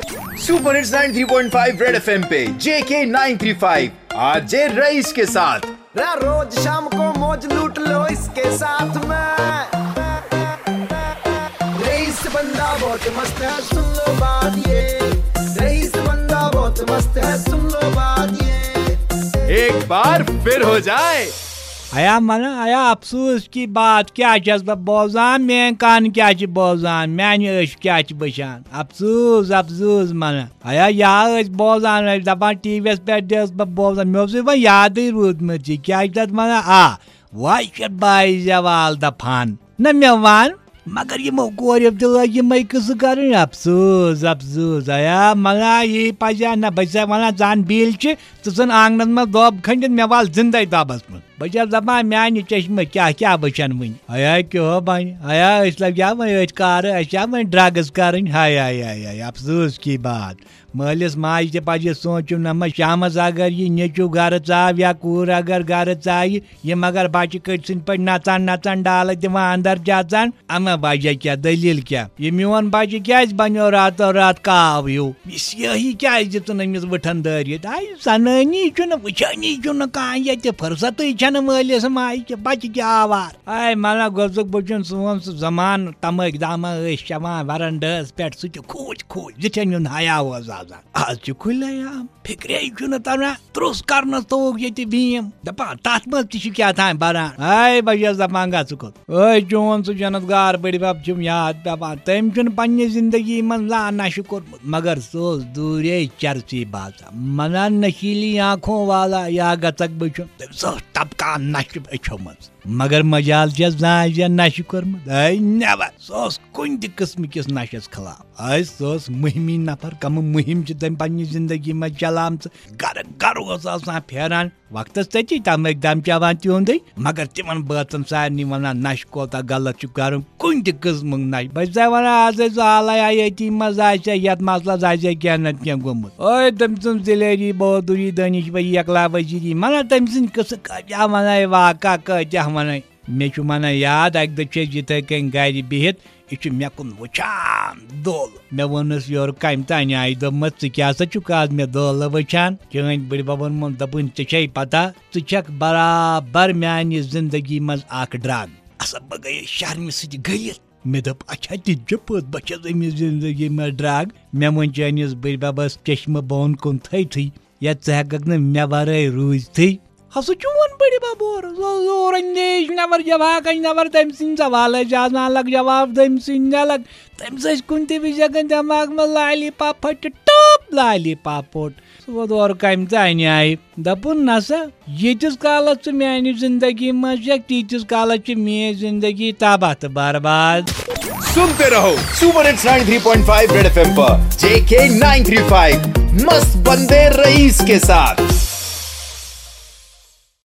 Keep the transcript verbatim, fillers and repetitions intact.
Super hits ninety three point five red FM पे J K nine three five RJ Raees के साथ। रा रोज शाम को मौज लूट लो इसके साथ में। रईस बंदा बहुत मस्त है, सुन लो बात ये। रईस बंदा बहुत मस्त है, सुन लो बात ये। एक बार फिर हो जाए। ایا منہ ایا افسوس کی بات کیا چھس بہ بوزان؟ میٲنۍ کن کیا چھ بوزان؟ میانہِ أچھ کیا چھ وٕچھان؟ افسوس، افسوس منہ۔ ایا یا ٲسۍ بوزان، ٲسۍ دپان ٹی وی یس پٮ۪ٹھ تہِ ٲس بہٕ بوزان، مےٚ اوس یہِ وۄنۍ یادٕے روٗدمُت یہِ کیٛاہ چھِ تتھ ونان؟ آ، وۄنۍ چھِ بایہِ زوال دپان۔ نہ مےٚ ون، مگر یِمو کوریو تہِ لٲگۍ یِمے قصہٕ کرٕنۍ۔ افسوس، افسوس، ایا منہ یی پزِ ہا نہ، بہٕ چھسے ونان زن بیٖلۍ چھِ، ژٕ ژھٕن آنگنس منٛز دۄب کھٔنِتھ، مےٚ وال زندے دۄبس منٛز۔ بہٕ چھَس دَپان، میٛانہِ چشمہٕ کیٛاہ کیٛاہ وٕچھَن وٕنہِ؟ ہیا کیٛاہ ہو بَنہِ؟ ہیا أسۍ لَگیا وۄنۍ أتھۍ کارٕ، اَسہِ چھا وۄنۍ ڈرٛگٕز کَرٕنۍ؟ ہاے ہاے ہاے ہاے، افسوس کی بات۔ مٲلِس ماجہِ تہِ پَزِ سونٛچُن، نہ ما شامَس اگر یہِ نیٚچوٗ گَرٕ ژاو یا کوٗر اگر گَرٕ ژایہِ، یِم اگر بَچہٕ کٔٹۍ سٕنٛدۍ پٲٹھۍ نَژان نَژان ڈالہٕ دِوان اَندَر چھِ اَژان، اَما وجہ کیٛاہ؟ دٔلیٖل کیٛاہ؟ یہِ میون بَچہٕ کیٛازِ بَنیو راتو رات کاو ہیوٗ؟ یہِ سیٲہی کیٛازِ دِژٕن أمِس وٕٹھَن دٲرِتھ؟ آے زَنٲنی چھُنہٕ، وٕچھٲنی چھُنہٕ کانٛہہ ییٚتہِ، فرصتٕے چھَنہٕ مٲلِس ماجہِ کہِ بَچہٕ کیٛاہ آوار۔ آے مَلا گوٚژھُکھ بہٕ چھُن سون سُہ زَمانہٕ، تَمٲکۍ دامہ ٲسۍ چٮ۪وان وَرَنڈَس پٮ۪ٹھ، سُہ تہِ کھوٗژ کھوٗژ، یِتھَے نیُن حیا اوس آسان۔ آز چھِ کھُلے عام، فِکرے چھُنہٕ تَران، ترُس کَرنَس توٚگ ییٚتہِ بیٖم، دَپان تَتھ منٛز تہِ چھِ کیٛاہ تام بَران۔ آے بہٕ چھَس دَپان گژھُکھ۔ أے چون سُہ جنت گار بٔڈِ بب چھُم یاد پٮ۪وان۔ تٔمۍ چھُنہٕ پننہِ زندگی منٛز زانٛہہ نشہٕ کوٚرمُت، مگر سُہ اوس دوٗرے چرسی باسان۔ منان نشیلی آنکھوں والا یا گژھکھ بہٕ چھُم۔ تٔمِس اوس ٹپکان نشہٕ أچھو منٛز۔ مگر مجال چھےٚ زانٛہہ زِ نشہٕ کوٚرمُت؟ A never. سُہ اوس کُنہِ تہِ قٕسمہٕ کِس نشس خلاف۔ اے سُہ اوس مُہِمی نفر، کمہٕ مُہِم چھِ تٔمۍ پننہِ زندگی منٛز چلاومژٕ۔ گرٕ گرٕ اوس آسان پھیران۔ وقتس تٔتی تمٲکۍ دم چٮ۪وان تِہُنٛدٕے، مگر تِمن بٲژن سارنٕے ونان نشہٕ کوتاہ غلط چھُ کرُن، کُنہِ تہِ قٕسمُک نشہٕ۔ بہٕ چھسے ونان، از ٲسۍ زٕ آلے آیٲتی منٛز آسہِ ہا، یتھ مسلس آسہِ ہا کینٛہہ نتہٕ کینٛہہ گوٚمُت۔ اوے تٔمۍ سٕنٛز دلیری، بہادری، دٲنِش بھایی، اکلا وزیری، ونان تٔمۍ سٕنٛدۍ قصہٕ کٲتیاہ ونَے، واقعہ کٲتیاہ ونَے۔ مےٚ چھُ ونان یاد، اکہِ دۄہ چھِ أسۍ یِتھے کٔنۍ گرِ بِہِتھ، یہِ چھُ مےٚ کُن وٕچھان دول۔ مےٚ ووٚنُس، یورٕ کمہِ تانۍ آیہِ؟ دوٚپمَس، ژٕ کیٛاہ سا چھُکھ آز مےٚ دولہٕ وٕچھان؟ چٲنۍ بٕڈِ ببن ووٚن، دوٚپُن، ژےٚ چھے پتہ، ژٕ چھکھ برابر میانہِ زندگی منٛز اکھ ڈرگ۔ ہسا بہٕ گٔیَس شرمہِ سۭتۍ گٔلِتھ۔ مےٚ دوٚپ، اچھا، تہِ تہِ چھُ پوٚز، بہٕ چھَس أمِس زندگی منٛز ڈرگ۔ مےٚ ووٚن چٲنِس بٕڈِ ببس چشمہٕ بۄن کُن تھٲوتھٕے، یا ژٕ ہٮ۪ککھ نہٕ مےٚ ورٲے روٗزتھٕے۔ ہسا چون بٕڈِ بب اورٕ، زو-، زور اندیش نفر، جواک اندیش نفر، تٔمۍ سٕنٛدۍ سوال ٲسۍ آسان الگ، جواب تٔمۍ سٕنٛدۍ الگ۔ تٔمِس ٲسۍ کُنہِ تہِ وِزِ ہٮ۪کان دٮ۪ماغ منٛز لالی پاپ پھٔٹِتھ، ٹاپ لالی پاپ پھوٚٹ۔ سُہ ووت اورٕ کمہِ تانۍ آیہِ۔ دپُن، نسا، ییٖتِس کالس ژٕ میانہِ زندگی منٛز چھکھ، تیٖتِس کالس چھِ میٲنۍ زندگی تباہ تہٕ برباد۔ सुनते रहो super hits ninety three point five red FM पर जेके नाइन थ्री फ़ाइव, मस्त बंदे रईस के साथ।